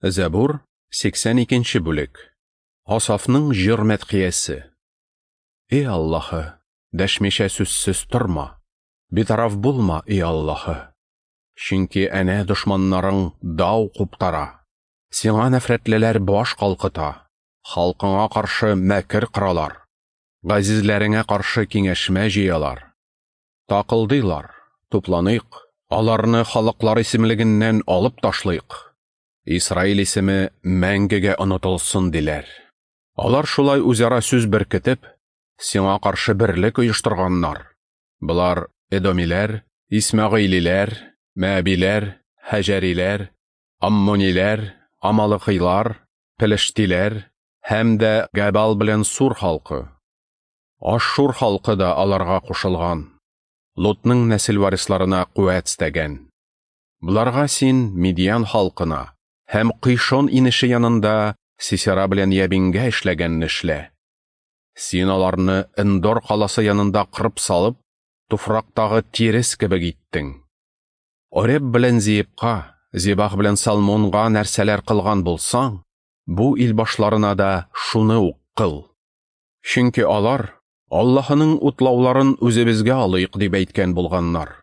Зәбур, 82 бүлек. Асафның җыр мәдхиясе. Эй Аллаһы, дәшмичә сүзсез торма. Битараф булма, эй Аллаһы. Чөнки әнә дошманнарың дау куптара. Сиңа нәфрәтлеләр баш калкыта. Халкыңа каршы мәкер коралар. Газизләреңә каршы киңәшмә җыялар. Такылдыйлар, тупланыйк, аларны халыклар исемлегеннән алып ташлыйк. Исраил исеме мәңгегә онытылсын, диләр. Алар шулай үзара сүз беркетеп, сиңа каршы берлек оештырганнар. Болар эдомиләр, исмәгыйлиләр, мәәбиләр, һәҗәриләр, аммониләр, амалыкыйлар, пелештиләр һәм дә Габал белән Сур халкы. Ашшур халкы да аларга кушылган. Лотның нәсел варисларына куәт стәгән. Боларга син Мидиан халкына һәм Кыйшон инеше янында Сисера белән Ябингә эшләгәнне эшлә. Син аларны Эндор каласы янында кырып салып, туфрактагы тирес кебек иттең. Ореб белән Зиепка, Зебах белән Салмонга нәрсәләр кылган булсаң, бу ил башларына да шуны ук кыл. Чөнки алар Аллаһының утлауларын үзебезгә алыйк дип әйткән булганнар.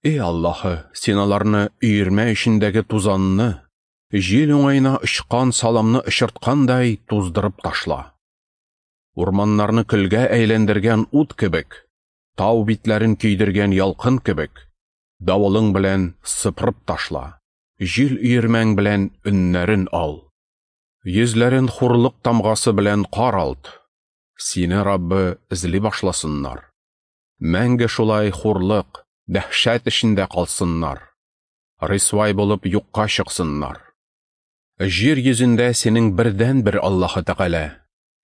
Эй Аллаһы, син аларны өермә эчендәге тузанны, җил уңаена очкан саламны очырткандай туздырып ташла. Урманнарны көлгә әйләндергән ут кебек, тау битләрен көйдергән ялкын кебек, давылың белән сыпырып ташла, җил өермәң белән өннәрен ал. Йөзләрен хурлык тамгасы белән каралт. Сине, Раббы, эзли башласыннар. Мәңге шулай хурлык, дәһшәт эчендә калсыннар. Рисвай булып юкка чыксыннар. Җир йөзендә синең бердән-бер Аллаһы Тәгалә,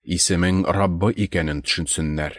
исемең Раббы икәнен төшенсеннәр.